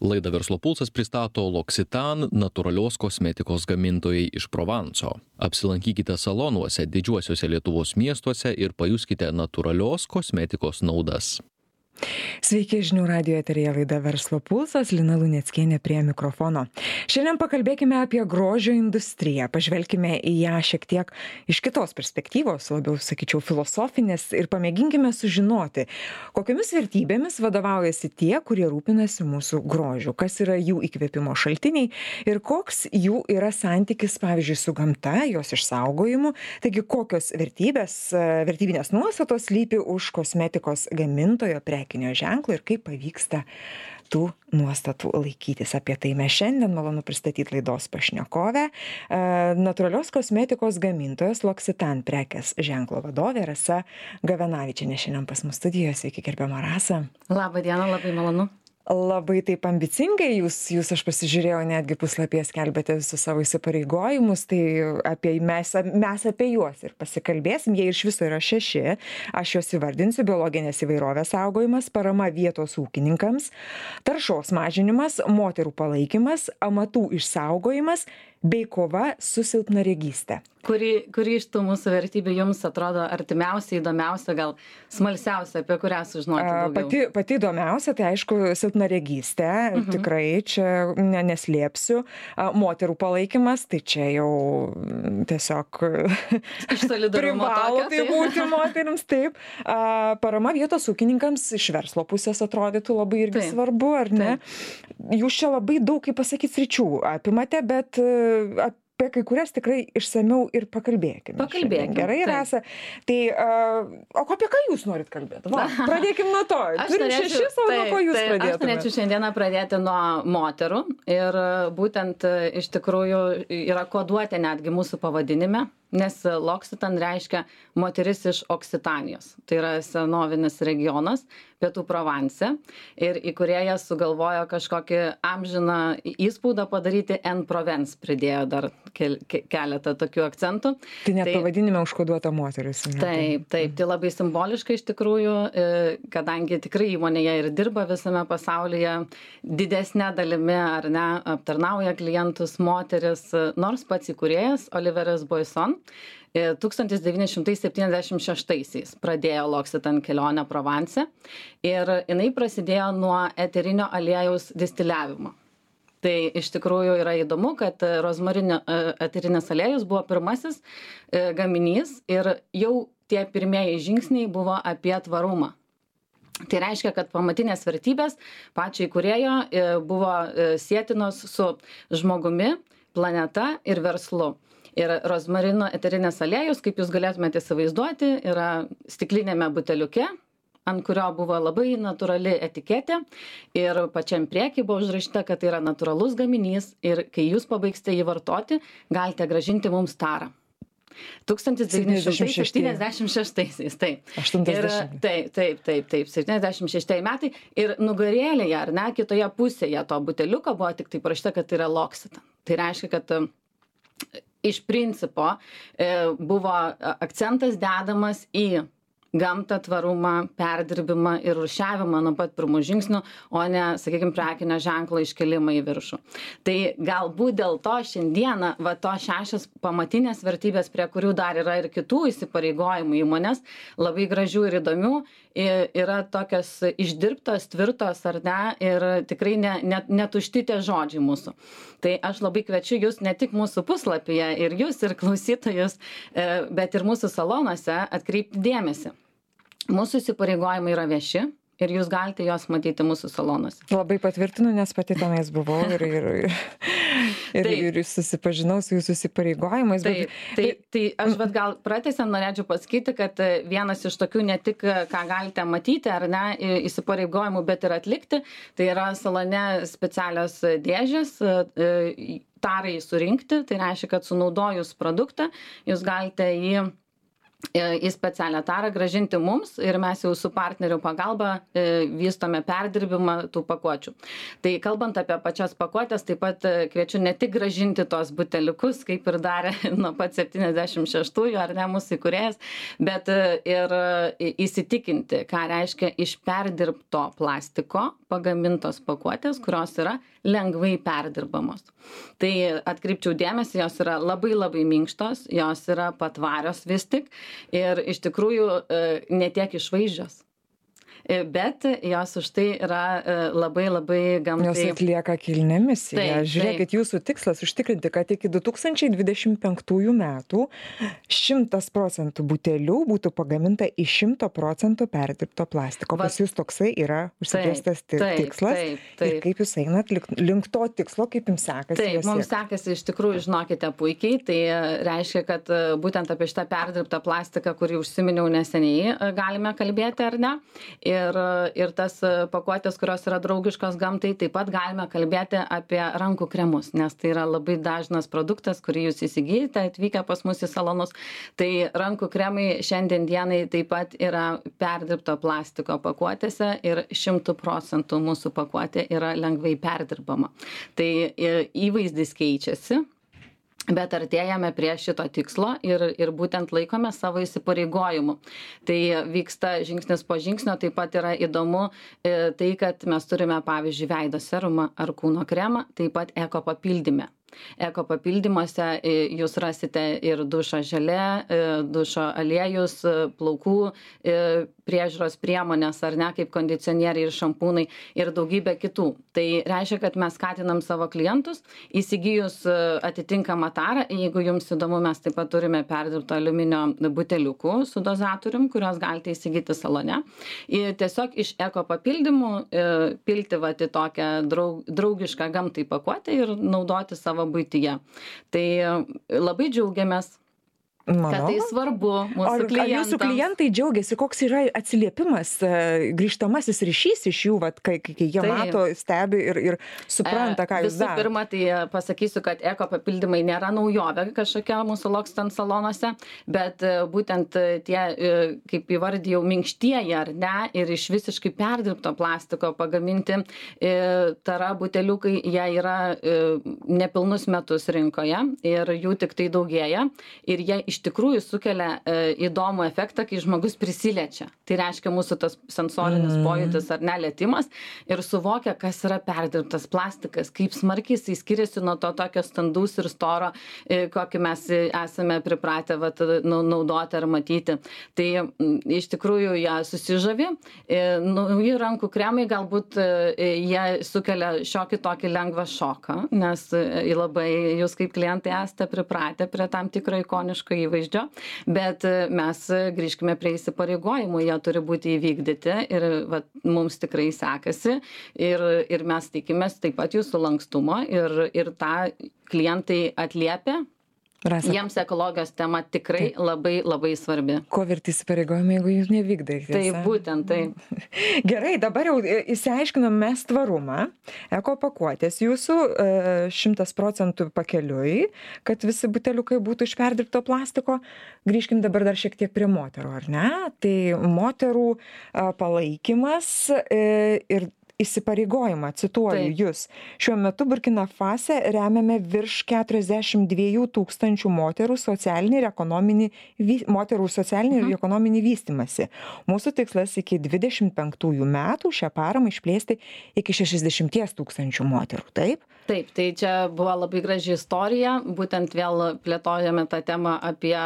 Laidą Verslo pulsas pristato L'Occitane natūralios kosmetikos gamintojai iš Provanso. Apsilankykite salonuose didžiuosiuose Lietuvos miestuose ir pajuskite natūralios kosmetikos naudas. Sveiki, žinių radijo eteryje laida Verslo pulsas, Lina Luneckienė prie mikrofono. Šiandien pakalbėkime apie grožio industriją, pažvelkime į ją šiek tiek iš kitos perspektyvos, labiau sakyčiau filosofinės, ir pamėginkime sužinoti, kokiomis vertybėmis vadovaujasi tie, kurie rūpinasi mūsų grožiu, kas yra jų įkvėpimo šaltiniai ir koks jų yra santykis, pavyzdžiui, su gamta, jos išsaugojimu. Taigi, kokios vertybinės nuostatos slypi už kosmetikos gamintojo prekinio ženklo ir kaip pavyksta tų nuostatų laikytis. Apie tai mes šiandien malonu pristatyti laidos pašnekovę, natūralios kosmetikos gamintojos L'Occitane prekės ženklo vadovė Rasa Gavenavičienė šiandien pas mus studijoje. Sveiki, gerbiama Rasa. Labą dieną, labai malonu. Labai taip ambicingai jūs aš pasižiūrėjau, netgi puslapyje skelbėte visus savo įsipareigojimus, tai mes apie juos ir pasikalbėsim. Jie iš viso yra 6, aš juos įvardinsiu: biologinės įvairovės saugojimas, parama vietos ūkininkams, taršos mažinimas, moterų palaikymas, amatų išsaugojimas bei kova su silpnaregystė. Kuri iš tų mūsų vertybių jums atrodo artimiausia, įdomiausia, gal smalsiausia, apie kurią sužinoti daugiau? Pati įdomiausia, tai aišku, silpnaregystė, tikrai čia neslėpsiu. Moterų palaikymas, tai čia jau tiesiog iš solidarumo privalo tai būti moterims, taip. Parama vietos ūkininkams iš verslo pusės atrodytų labai irgi svarbu, ar ne? Jūs čia labai daug, kaip pasakyti, sričių apimate, bet apie kai kurias tikrai išsamiau ir pakalbėkime. Pakalbėkime. Gerai, Rasa. Tai, o apie ką jūs norit kalbėti? Pradėkim nuo to. Turim 6, o nuo ko jūs pradėtumėte? Aš norėčiau šiandieną pradėti nuo moterų. Ir būtent iš tikrųjų yra koduotė netgi mūsų pavadinime, nes L'Occitane reiškia moteris iš Oksitanijos. Tai yra senovinis regionas pietų Provanse. Ir įkūrėjas sugalvojo kažkokį amžiną įspaudą padaryti, en Provence pridėjo dar keletą tokių akcentų. Tai net pavadinime užkoduota moteris. Taip, tai labai simboliška iš tikrųjų, kadangi tikrai įmonėje ir dirba visame pasaulyje, didesnė dalimi ar ne aptarnauja klientus moteris, nors pats įkūrėjas Oliveras Boisson 1976 pradėjo L'Occitane kelionę Provence ir jinai prasidėjo nuo eterinio aliejaus distiliavimo. Tai iš tikrųjų yra įdomu, kad rozmarinio eterinis aliejus buvo pirmasis gaminys ir jau tie pirmieji žingsniai buvo apie tvarumą. Tai reiškia, kad pamatinės vertybės pačio įkūrėjo buvo sietinos su žmogumi, planeta ir verslu. Ir rozmarino eterinės aliejus, kaip jūs galėtumėte įsivaizduoti, yra stiklinėme buteliuke, ant kurio buvo labai natūrali etiketė ir pačiam prieky buvo užrašyta, kad tai yra natūralus gaminys ir kai jūs pabaigsite jį vartoti, galite grąžinti mums tarą. 1976, taip. 80. Taip, 76 metai. Ir nugarėlėje, ar ne, kitoje pusėje to buteliuko buvo tik tai parašyta, kad tai yra L'Occitane. Tai reiškia, kad iš principo buvo akcentas dedamas į gamtą, tvarumą, perdirbimą ir rūšiavimą nuo pat pirmų žingsnių, o ne, sakykime, prekinio ženklo iškelimą į viršų. Tai galbūt dėl to šiandieną to 6 pamatinės vertybės, prie kurių dar yra ir kitų įsipareigojimų įmonės, labai gražių ir įdomių, yra tokios išdirbtos, tvirtos ar ne, ir tikrai netušti tie žodžiai mūsų. Tai aš labai kviečiu jūs ne tik mūsų puslapyje, ir jūs, ir klausytojus, bet ir mūsų salonuose atkreipti dėmesį. Mūsų įsipareigojimai yra vieši ir jūs galite juos matyti mūsų salonuose. Labai patvirtinu, nes pati tenais buvau ir susipažinau su jūsų įsipareigojimais. Tai aš gal pratęsiant norėčiau pasakyti, kad vienas iš tokių ne tik ką galite matyti ar ne įsipareigojimų, bet ir atlikti, tai yra salone specialios dėžės, tarai surinkti, tai reiškia, kad sunaudojus produktą jūs galite jį į specialią tarą grąžinti mums ir mes jau su partnerių pagalba vystome perdirbimą tų pakuočių. Tai kalbant apie pačias pakuotės, taip pat kviečiu ne tik grąžinti tos buteliukus, kaip ir darė nuo pat 76-ųjų, ar ne, mūsų įkūrėjas, bet ir įsitikinti, ką reiškia iš perdirbto plastiko pagamintos pakuotės, kurios yra lengvai perdirbamos. Tai atkreipčiau dėmesį, jos yra labai labai minkštos, jos yra patvarios vis tik ir iš tikrųjų ne tiek išvaizdžios. Bet jos už tai yra labai labai gamtai. Jos atlieka kilnią misiją. Žiūrėkit, jūsų tikslas užtikrinti, kad iki 2025 metų 100% butelių būtų pagaminta iš 100% perdirbto plastiko. Pas jūs toksai yra užsibrėžtas tikslas. Ir kaip jūs einat link to tikslo, kaip jums sekasi? Taip, mums sekasi iš tikrųjų, žinokite, puikiai. Tai reiškia, kad būtent apie šitą perdirbtą plastiką, kurį užsiminiau neseniai, galime kalbėti, ar ne? Ir tas pakuotės, kurios yra draugiškos gamtai, taip pat galime kalbėti apie rankų kremus, nes tai yra labai dažnas produktas, kurį jūs įsigijate atvykę pas mus į salonus. Tai rankų kremai šiandien dienai taip pat yra perdirbto plastiko pakuotėse ir 100% mūsų pakuotė yra lengvai perdirbama. Tai įvaizdis keičiasi. Bet artėjame prie šito tikslo ir būtent laikome savo įsipareigojimų. Tai vyksta žingsnis po žingsnio, taip pat yra įdomu tai, kad mes turime, pavyzdžiui, veido serumą ar kūno kremą, taip pat eko papildyme. Eko papildymuose jūs rasite ir dušo želė, dušo aliejus, plaukų priežiūros priemonės, ar ne, kaip kondicionieriai ir šampūnai ir daugybė kitų. Tai reiškia, kad mes skatinam savo klientus, įsigijus atitinkamą tarą, jeigu jums įdomu, mes taip pat turime perdirbto aliuminio buteliukų su dozatorium, kuriuos galite įsigyti salone. Ir tiesiog iš eko papildymų pilti vat į tokią draugišką gamtai pakuotę ir naudoti savo buityje. Tai labai džiaugiamės, kad tai svarbu mūsų klientams. Ar jūsų klientai džiaugiasi, koks yra atsiliepimas, grįžtamasis ryšys iš jų, vat, kai jie mato, stebi ir supranta, ką jūs darote? Visų pirma, tai pasakysiu, kad eko papildymai nėra naujovė kažkokia mūsų Loccitane salonuose, bet būtent tie, kaip įvardijau, minkštieji ar ne, ir iš visiškai perdirbto plastiko pagaminti tara buteliukai, jie yra nepilnus metus rinkoje ir jų tik tai daugėja ir jie iš tikrųjų sukelia įdomų efektą, kai žmogus prisiliečia. Tai reiškia mūsų tas sensorinis pojūtis ar nelietimas ir suvokia, kas yra perdirbtas plastikas, kaip smarkiai jisai skiriasi nuo to tokio standaus ir storo, kokį mes esame pripratę naudoti ar matyti. Tai iš tikrųjų jie susižavi. Nauji rankų kremai galbūt jie sukelia šiokį tokį lengvą šoką, nes labai jūs kaip klientai esate pripratę prie tam tikro ikoniško įvaizdžio, bet mes grįžkime prie įsipareigojimų, jie turi būti įvykdyti ir mums tikrai sekasi ir mes tikimės taip pat jūsų lankstumo ir tą klientai atliepia. Rasa. Jiems ekologijos tema tikrai labai labai svarbi. Ko verti įsipareigojimai, jeigu jūs nevykdai? Taip, būtent tai. Gerai, dabar jau įsiaiškinom mes tvarumą. Eko pakuotės jūsų 100% pakeliui, kad visi buteliukai būtų iš perdirbto plastiko. Grįžkim dabar dar šiek tiek prie moterų, ar ne? Tai moterų palaikymas ir įsipareigojimą, cituoju jūs. Šiuo metu Burkina Fase remiame virš 42 000 moterų socialinį ir ekonominį vystymąsi. Mūsų tikslas iki 25 metų šią paramą išplėsti iki 60 000 moterų, taip? Taip, tai čia buvo labai graži istorija, būtent vėl plėtojame tą temą apie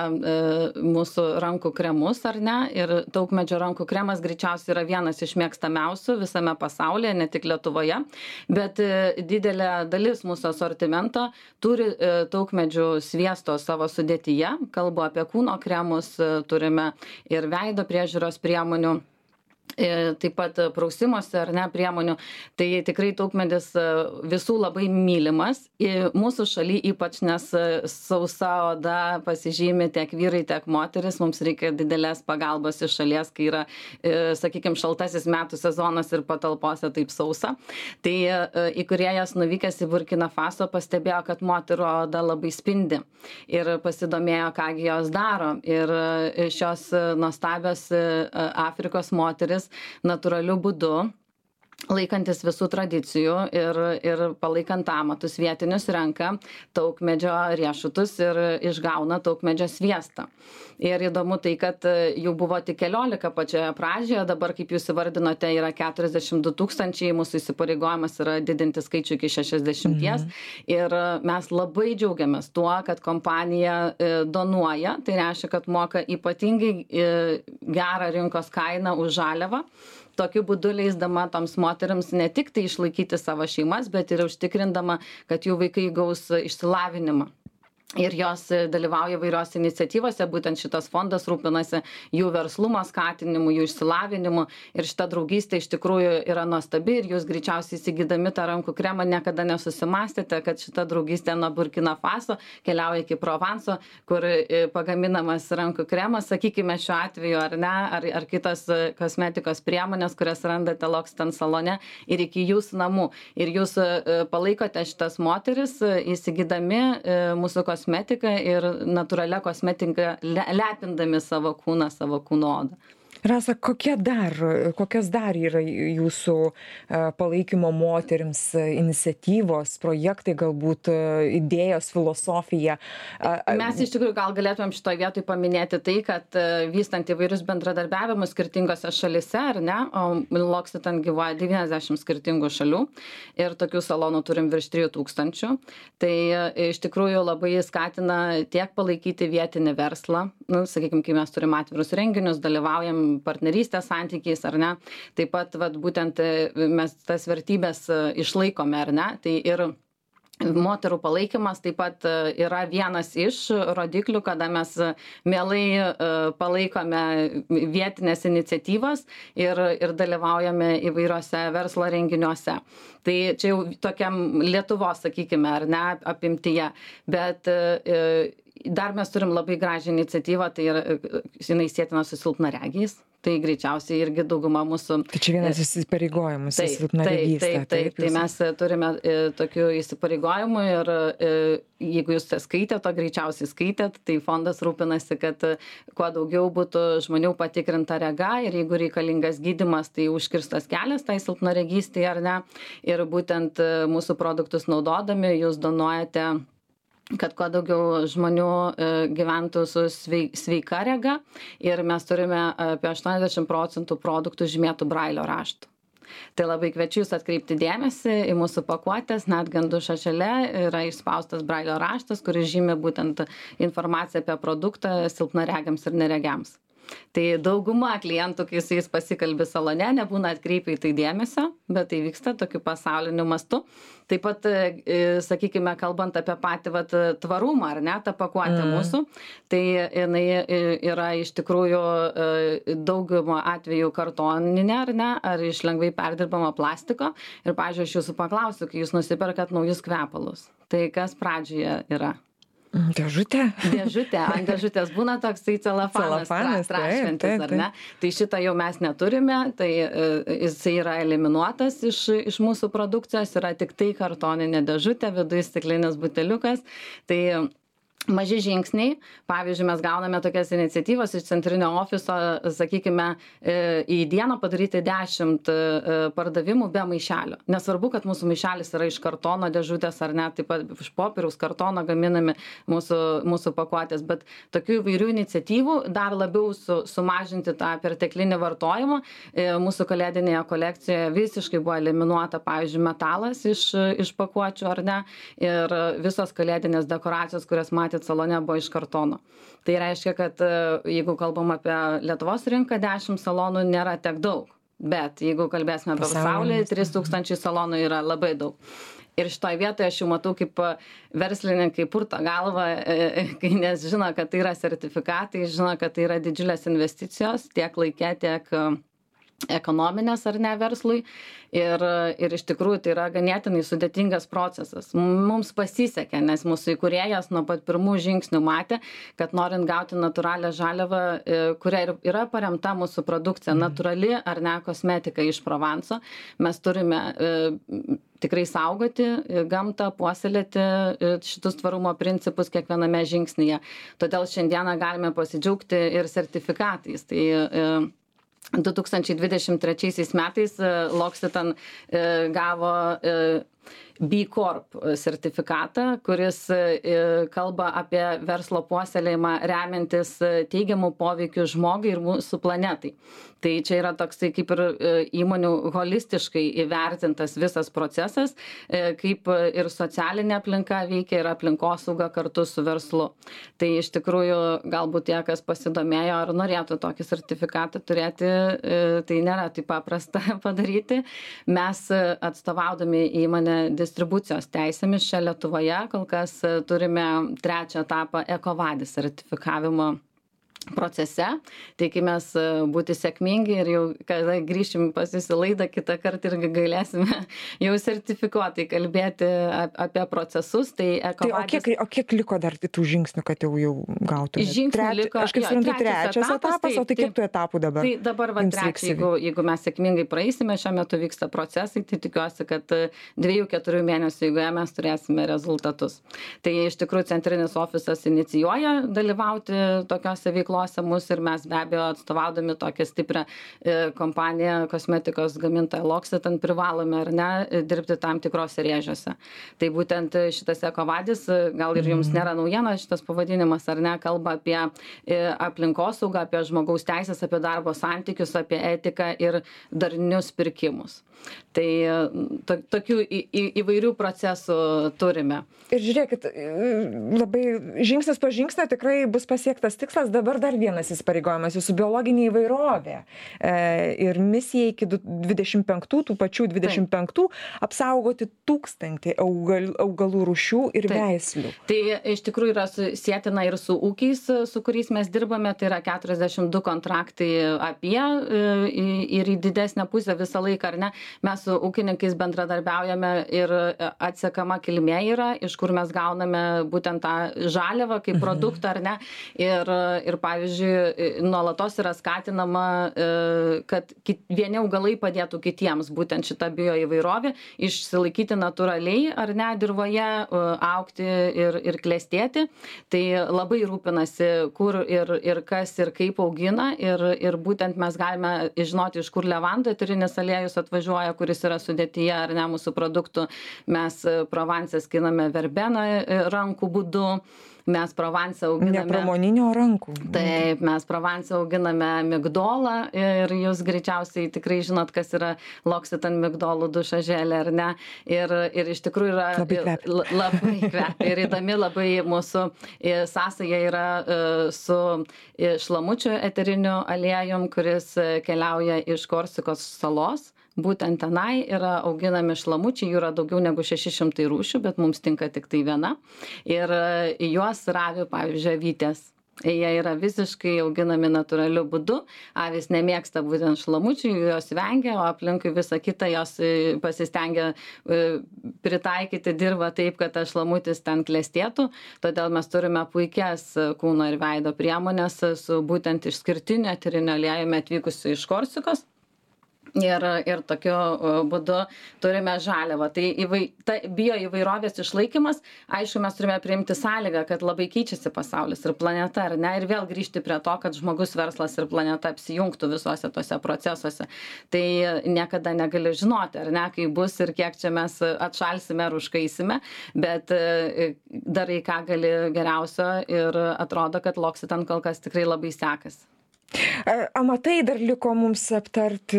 mūsų rankų kremus, ar ne? Ir taukmedžio rankų kremas greičiausiai yra vienas iš mėgstamiausių visame pasaulyje, ne tik Lietuvoje, bet didelė dalis mūsų asortimento turi taukmedžių sviesto savo sudėtyje. Kalbu apie kūno kremus, turime ir veido priežiūros priemonių. taip pat prausimosi ar ne priemonių. Tai tikrai taukmedis visų labai mylimas. Mūsų šaly ypač, nes sausa oda pasižymi tiek vyrai, tiek moteris, mums reikia didelės pagalbos iš šalies, kai yra, sakykime, šaltasis metų sezonas ir patalpose taip sausa. Tai įkūrėjas nuvykęs į Burkina Faso pastebėjo, kad moterų oda labai spindi ir pasidomėjo, kągi jos daro. Ir šios nuostabios Afrikos moteris natūraliu būdu, laikantis visų tradicijų ir palaikant amatus vietinius, renka taukmedžio riešutus ir išgauna taukmedžio sviestą. Ir įdomu tai, kad jų buvo tik 14 pačioje pradžioje, dabar, kaip jūs įvardinote, yra 42 000, mūsų įsipareigojimas yra didinti skaičių iki 60. Ir mes labai džiaugiamės tuo, kad kompanija donuoja, tai reiškia, kad moka ypatingai gerą rinkos kainą už žaliavą. Tokiu būdu leisdama toms moteriams ne tik tai išlaikyti savo šeimas, bet ir užtikrindama, kad jų vaikai gaus išsilavinimą. Ir jos dalyvauja įvairios iniciatyvose, būtent šitas fondas rūpinasi jų verslumo skatinimu, jų išsilavinimu. Ir šita draugystė iš tikrųjų yra nuostabi ir jūs greičiausiai įsigydami tą rankų kremą niekada nesusimastėte, kad šita draugystė nuo Burkina Faso keliauja iki Provanso, kur pagaminamas rankų kremas, sakykime šiuo atveju ar ne, ar kitos kosmetikos priemonės, kurias randate L'Occitane salone ir iki jūsų namų. Ir jūs palaikote šitas moteris įsigydami mūsų kosmetiką ir natūralią kosmetiką lepindami savo kūno odą. Rasa, kokios dar yra jūsų palaikymo moterims iniciatyvos, projektai, galbūt idėjos, filosofija? Mes iš tikrųjų gal galėtumėm šitoje vietoje paminėti tai, kad vystant įvairius bendradarbiavimus skirtingose šalise, ar ne, o L'Occitane gyvuoja 90 skirtingų šalių ir tokių salonų turim virš 3000. Tai iš tikrųjų labai skatina tiek palaikyti vietinį verslą, sakykime, kai mes turim atvirus renginius, dalyvaujam partnerystės santykiais, ar ne. Taip pat, būtent mes tas vertybės išlaikome, ar ne. Tai ir moterų palaikymas taip pat yra vienas iš rodiklių, kada mes mielai palaikome vietinės iniciatyvas ir dalyvaujame įvairiose verslo renginiuose. Tai čia jau tokiam Lietuvos, sakykime, ar ne, apimtyje. Bet dar mes turim labai gražią iniciatyvą, tai yra, jinai sietina su silpnaregiais. Tai greičiausiai irgi dauguma mūsų... Tai čia vienas įsipareigojimų su silpnaregystė. Taip, mes turime tokių įsipareigojimų ir jeigu jūs skaitėt, to greičiausiai skaitėt, tai fondas rūpinasi, kad kuo daugiau būtų žmonių patikrinta rega ir jeigu reikalingas gydymas, tai užkirstas kelias tai silpnaregystei ar ne. Ir būtent mūsų produktus naudodami jūs donuojate, kad kuo daugiau žmonių gyventų su sveika rega ir mes turime apie 80% produktų žymėtų brailio raštu. Tai labai kviečiu jūs atkreipti dėmesį į mūsų pakuotės, net ant dušo šalia yra išspaustas brailio raštas, kuris žymi būtent informaciją apie produktą silpnaregiams ir neregiams. Tai dauguma klientų, kai su jais pasikalbi salone, nebūna atkreipę į tai dėmesio, bet tai vyksta tokiu pasauliniu mastu. Taip pat, sakykime, kalbant apie patį tvarumą, ar ne, tą pakuotę mūsų, tai jinai yra iš tikrųjų daugumą atvejų kartoninė, ar ne, ar iš lengvai perdirbamo plastiko. Ir, pavyzdžiui, aš jūsų paklausiu, kai jūs nusiperkat naujus kvepalus, tai kas pradžioje yra? Dėžutė. Ant dėžutės būna toksai celofanas traškantis, ar ne? Tai šitą jau mes neturime, tai jisai yra eliminuotas iš mūsų produkcijos, yra tik tai kartoninė dėžutė, viduje stiklinis buteliukas. Tai maži žingsniai, pavyzdžiui, mes gauname tokias iniciatyvas iš centrinio ofiso, sakykime, į dieną padaryti 10 pardavimų be maišelio. Nesvarbu, kad mūsų maišelis yra iš kartono dėžutės ar ne, taip pat iš popieriaus kartono gaminami mūsų pakuotės, bet tokių įvairių iniciatyvų dar labiau sumažinti tą perteklinį vartojimą. Mūsų kalėdinėje kolekcijoje visiškai buvo eliminuota, pavyzdžiui, metalas iš pakuočių ar ne, ir visos kalėdinės dekoracijos, kurias matėte salone, buvo iš kartono. Tai reiškia, kad jeigu kalbam apie Lietuvos rinką, 10 salonų nėra tiek daug. Bet jeigu kalbėsime apie pasaulį, 3000 salonų yra labai daug. Ir šitoje vietoje aš jau matau, kaip verslininkai purto galvą, nes žino, kad tai yra sertifikatai, žino, kad tai yra didžiulės investicijos tiek laike, tiek ekonominės ar ne verslui ir iš tikrųjų tai yra ganėtinai sudėtingas procesas. Mums pasisekė, nes mūsų įkūrėjas nuo pat pirmų žingsnių matė, kad norint gauti natūralią žaliavą, kuria yra paremta mūsų produkcija, natūrali ar ne kosmetika iš Provanso, mes turime tikrai saugoti gamtą, puoselėti šitus tvarumo principus kiekviename žingsnyje. Todėl šiandieną galime pasidžiaugti ir sertifikatais. Tai 2023 metais L'Occitane gavo B Corp sertifikatą, kuris kalba apie verslo puoselėjimą remiantis teigiamų poveikių žmogui ir mūsų planetai. Tai čia yra toksai kaip ir įmonių holistiškai įvertintas visas procesas, kaip ir socialinė aplinka veikia ir aplinkosauga kartu su verslu. Tai iš tikrųjų galbūt tie, kas pasidomėjo ar norėtų tokį sertifikatą turėti, tai nėra taip paprasta padaryti. Mes atstovaudami įmonę distribucijos teisėmis čia Lietuvoje kol kas turime 3 etapą EcoVadis sertifikavimo procese. Tikimės būti sėkmingi ir jau, kada grįšim pas jūs į laidą, kitą kartą irgi galėsime jau sertifikuotai kalbėti apie procesus. Tai EcoVadis... O kiek liko dar tų žingsnių, kad jau gautume? Žingsnių liko... Aš kaip suprantu, 3 etapas, o tai kiek tų etapų dabar? Tai dabar 3, jeigu mes sėkmingai praeisime, šiuo metu vyksta procesai, tai tikiuosi, kad 2-4 mėnesių eigoje mes turėsime rezultatus. Tai iš tikrųjų centrinis ofisas inicijuoja dalyvauti tokiose veiklose mus ir mes be abejo atstovaudami tokią stiprią kompaniją, kosmetikos gamintoją L'Occitane privalome ar ne dirbti tam tikrose rėžiuose. Tai būtent šitas EcoVadis, gal ir jums nėra naujiena šitas pavadinimas ar ne, kalba apie aplinkosaugą, apie žmogaus teisės, apie darbo santykius, apie etiką ir darnius pirkimus. Tai tokių įvairių procesų turime. Ir žiūrėkit, labai žingsnis po žingsnio tikrai bus pasiektas tikslas. Dabar dar vienas įsipareigojimas, jūsų biologinė įvairovė. Ir misija iki 25, tų pačių 25, apsaugoti 1000 augalų rūšių ir veislių. Tai iš tikrųjų yra sietina ir su ūkiais, su kuriais mes dirbame, tai yra 42 kontraktai apie ir į didesnę pusę visą laiką, ar ne? Mes su ūkininkais bendradarbiaujame ir atsekama kilmė yra, iš kur mes gauname būtent tą žaliavą kaip produktą, ar ne? Ir pavyzdžiui, nuolatos yra skatinama, kad vieni augalai padėtų kitiems, būtent šitą bioįvairovę, išsilaikyti natūraliai, ar ne, dirvoje, augti ir klestėti. Tai labai rūpinasi, kur ir kas ir kaip augina, ir būtent mes galime žinoti, iš kur levandų eterinis aliejus atvažiuoja, kuris yra sudėtyje ar ne mūsų produktų. Mes Provence skiname verbeną rankų būdu, mes Provence auginame... Nepramoninio rankų. Taip, mes Provence auginame migdolą ir jūs greičiausiai tikrai žinot, kas yra L'Occitane migdolų dušažėlė, ar ne? Ir iš tikrųjų yra... Labai kvepia. Ir įdomi labai mūsų sąsaja yra su šlamučių eteriniu aliejum, kuris keliauja iš Korsikos salos. Būtent tenai yra auginami šlamučiai, jų yra daugiau negu 600 rūšių, bet mums tinka tik tai viena. Ir juos ravi, pavyzdžiui, avytės. Jie yra visiškai auginami natūraliu būdu. Avys nemėgsta būtent šlamučių, jos vengia, o aplinkui visą kitą jos pasistengia pritaikyti dirvą taip, kad tas šlamutis ten klestėtų. Todėl mes turime puikias kūno ir veido priemonės su būtent išskirtiniu eteriniu aliejumi atvykusiu iš Korsikos. Ir tokiu būdu turime žaliavą. Tai bioįvairovės išlaikymas, aišku, mes turime priimti sąlygą, kad labai keičiasi pasaulis ir planeta, ar ne, ir vėl grįžti prie to, kad žmogus, verslas ir planeta apsijungtų visuose tose procesuose. Tai niekada negali žinoti, ar ne, kai bus ir kiek čia mes atšalsime ar užkaisime, bet darai ką gali geriausio ir atrodo, kad L'Occitane kol kas tikrai labai sekasi. Amatai dar liko mums aptarti,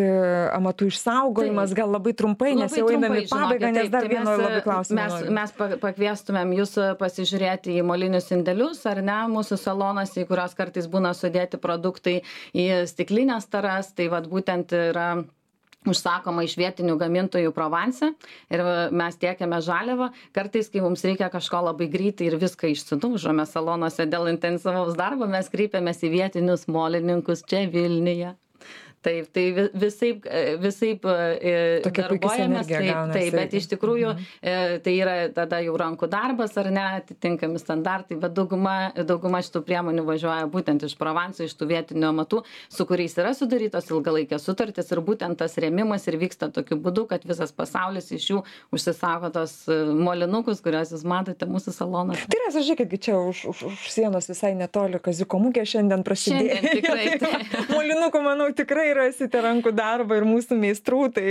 amatų išsaugojimas, gal labai trumpai, nes jau einame į pabaigą, nes dar vieno labai klausimą. Mes pakviestumėm jūs pasižiūrėti į molinius indelius, ar ne, mūsų salonas, į kurios kartais būna sudėti produktai į stiklinės taras, tai vat būtent yra užsakoma iš vietinių gamintojų Provence ir mes tiekiame žaliavą. Kartais, kai mums reikia kažko labai greitai ir viską išsidaužome salonuose dėl intensyvaus darbo, mes kreipiamės į vietinius molininkus čia Vilniuje. Taip, tai visaip darbuojamės, taip, bet iš tikrųjų tai yra tada jau rankų darbas ar ne, atitinkami standartai, bet dauguma šitų priemonių važiuoja būtent iš Provanso, iš tų vietinių amatų, su kuriais yra sudarytos ilgalaikės sutartys ir būtent tas rėmimas ir vyksta tokiu būdu, kad visas pasaulis iš jų užsisako tos molinukus, kuriuos jūs matote mūsų salonuose. Tai yra, žiūrėkit, čia už sienos visai netoli Kaziuko mugė šiandien prasidėjo. Šiandien tikrai. Tai. Molinukų, manau, tikrai rasite rankų darbą ir mūsų meistrų, tai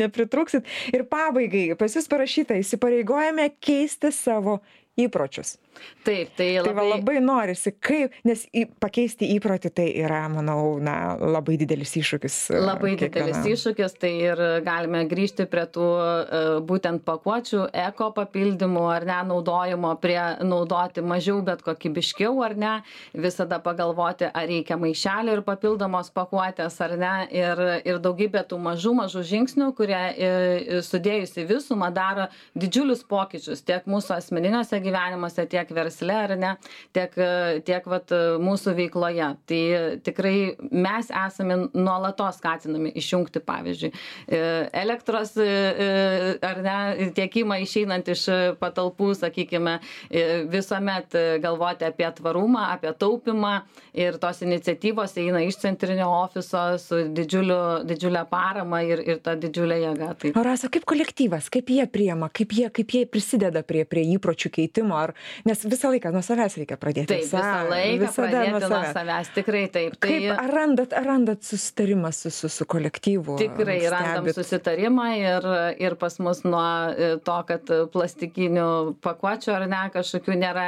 nepritrūksit. Ir pabaigai, pas jūs parašyta, įsipareigojame keisti savo įpročius. Taip, tai labai norisi, nes pakeisti įprotį tai yra, manau, labai didelis iššūkis. Labai didelis iššūkis, tai ir galime grįžti prie tų būtent pakuočių, eko papildymų ar ne, naudojimo, prie naudoti mažiau, bet kokybiškiau ar ne, visada pagalvoti, ar reikia maišelio ir papildomos pakuotės ar ne, ir daugybė tų mažų žingsnių, kurie sudėjus į visumą daro didžiulius pokyčius tiek mūsų asmeniniuose gyvenimuose, tiek versle ar ne, tiek vat mūsų veikloje. Tai tikrai mes esame nuolatos skatinami išjungti, pavyzdžiui, elektros ar ne, tiekimą išeinant iš patalpų, sakykime, visuomet galvoti apie tvarumą, apie taupimą ir tos iniciatyvos eina iš centrinio ofiso su didžiulė parama ir ta didžiulė jėga. Tai. O Rasa, kaip kolektyvas, kaip jie priema, kaip jie prisideda prie įpročių keitimo, nes visą laiką nuo savęs reikia pradėti. Taip, visą laiką pradėti nuo savęs, tikrai taip. Kaip, ar randat susitarimą su kolektyvu? Tikrai randam susitarimą ir pas mus nuo to, kad plastikinių pakuočių ar ne, kažkokių nėra,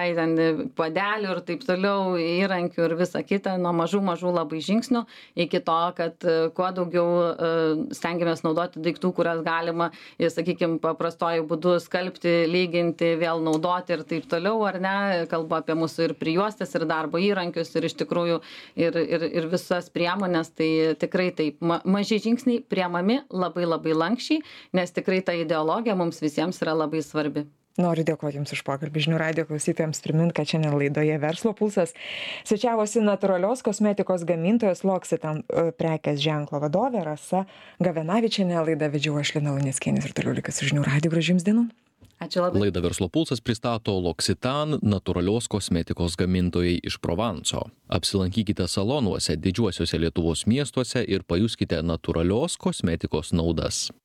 padelių ir taip toliau, įrankių ir visa kita, nuo mažų labai žingsnių iki to, kad kuo daugiau stengiamės naudoti daiktų, kurias galima, sakykime, paprastoju būdu skalbti, lyginti, vėl naudoti ir taip toliau, ar ne, kalbu apie mūsų ir prijuostės, ir darbo įrankius, ir iš tikrųjų ir visas priemonės, tai tikrai taip, maži žingsniai priemami labai lankščiai, nes tikrai ta ideologija mums visiems yra labai svarbi. Noriu dėkoti Jums už pokalbį. Žinių radijo klausytojams primint, kad šiandien laidoje Verslo pulsas svečiavosi natūralios kosmetikos gamintojos L'Occitane prekės ženklo vadovė Rasa Gavenavičienė. Laidą vedžiau aš, Lina Luneckienė, ir toliau likit su Žinių radiju. Gražių Jums dienų. Ačiū labai. Laidą Verslo pulsas pristato L'Occitane natūralios kosmetikos gamintojai iš Provanso. Apsilankykite salonuose didžiuosiuose Lietuvos miestuose ir pajuskite natūralios kosmetikos naudas.